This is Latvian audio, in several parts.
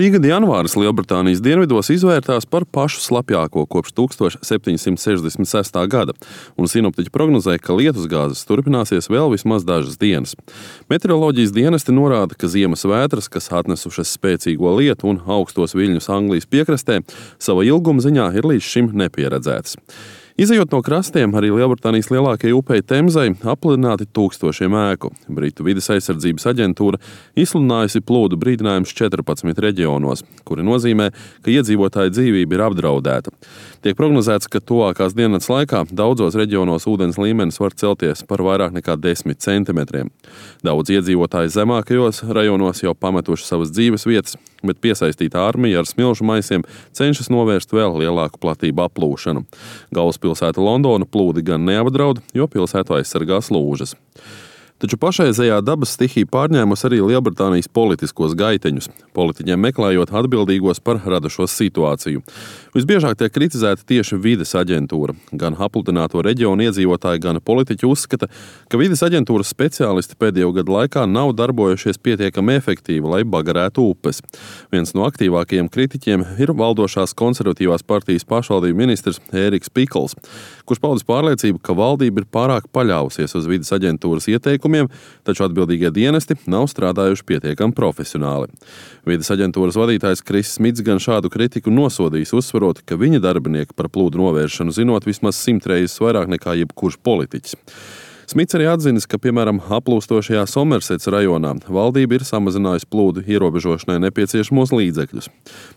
Šī gada janvāris Lielbritānijas dienvidos izvērtās par pašu slapjāko kopš 1766. gada, un sinoptiķi prognozē, ka lietusgāzes turpināsies vēl vismaz dažas dienas. Meteoroloģijas dienesti norāda, ka ziemas vētras, kas atnesušas spēcīgo lietu un augstos viļņus Anglijas piekrastē, sava ilguma ziņā ir līdz šim nepieredzētas. Izejot no krastiem, arī Lielbritānijas lielākajai upei Temzei aplidināti tūkstošiem ēku. Britu vides aizsardzības aģentūra izsludinājusi plūdu brīdinājumus 14 reģionos, kuri nozīmē, ka iedzīvotāju dzīvība ir apdraudēta. Tiek prognozēts, ka tuvākās dienas laikā daudzos reģionos ūdens līmenis var celties par vairāk nekā 10 centimetriem. Daudz iedzīvotāji zemākajos rajonos jau pametuši savas dzīves vietas, bet piesaistītā armija ar smilšu maisiem cenšas novērst vēl lielāku platību aplūšanu. Galvaspilsēta Londona plūdi gan neapdraud, jo pilsētu aizsargās lūžas. Taču pašreizējā dabas stihija pārņēmusi arī Lielbritānijas politiskos gaiteņus, politiķiem meklējot atbildīgos par radušos situāciju. Visbiežāk tiek kritizēta tieši vides aģentūra. Gan apludināto reģionu iedzīvotāji, gan politiķi uzskata, ka vides aģentūras speciālisti pēdējo gadu laikā nav darbojušies pietiekami efektīvi, lai bagarētu upes. Viens no aktīvākajiem kritiķiem ir valdošās konservatīvās partijas pašvaldību ministrs Ēriks Pikls, kurš paudis pārliecību, ka valdība ir pārāk paļāvusies uz vides aģentūras ieteikumiem, taču atbildīgie dienesti nav strādājuši pietiekami profesionāli. Vides aģentūras vadītājs Kris Smits gan šādu kritiku nosodījis, uzsverot, ka viņa darbinieki par plūdu novēršanu zinot vismaz 100 reizes vairāk nekā jebkurš politiķis. Smits arī atzinis, ka, piemēram, aplūstošajā Somersets rajonā valdība ir samazinājusi plūdu ierobežošanai nepieciešamos līdzekļus.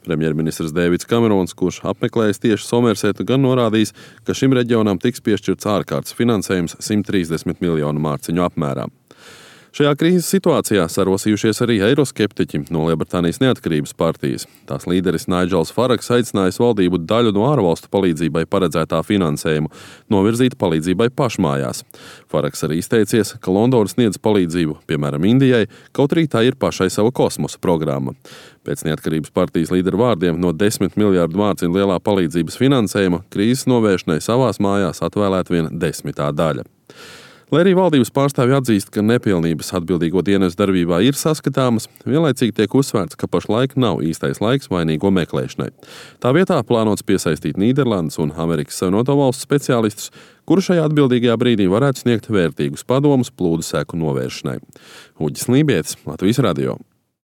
Premjerministrs Deivids Kamerons, kurš apmeklējis tieši Somersetu, gan norādījis, ka šim reģionam tiks piešķirts ārkārtas finansējums 130 miljonu mārciņu apmērā. Šajā krīzes situācijā sarosījušies arī eiroskeptiķi no Lielbritānijas neatkarības partijas. Tās līderis Nigels Farage aicinājis valdību daļu no ārvalstu palīdzībai paredzētā finansējumu novirzīt palīdzībai pašmājās. Farage arī izteicies, ka Londona sniedz palīdzību, piemēram, Indijai, kaut arī tā ir pašai sava kosmosa programma. Pēc neatkarības partijas līderu vārdiem no 10 miljārdu mārciņu lielā palīdzības finansējuma krīzes novēršanai savās mājās atvēlēt vien 10. daļa. Lai arī valdības pārstāvji atzīst, ka nepilnības atbildīgo dienestu darbībā ir saskatāmas, vienlaicīgi tiek uzsvērts, ka pašlaik nav īstais laiks vainīgo meklēšanai. Tā vietā plānots piesaistīt Nīderlandes un Amerikas Savienoto Valstu speciālistus, kuri šajā atbildīgajā brīdī varētu sniegt vērtīgus padomus plūdu seku novēršanai. Uģis Lībietis, Latvijas radio.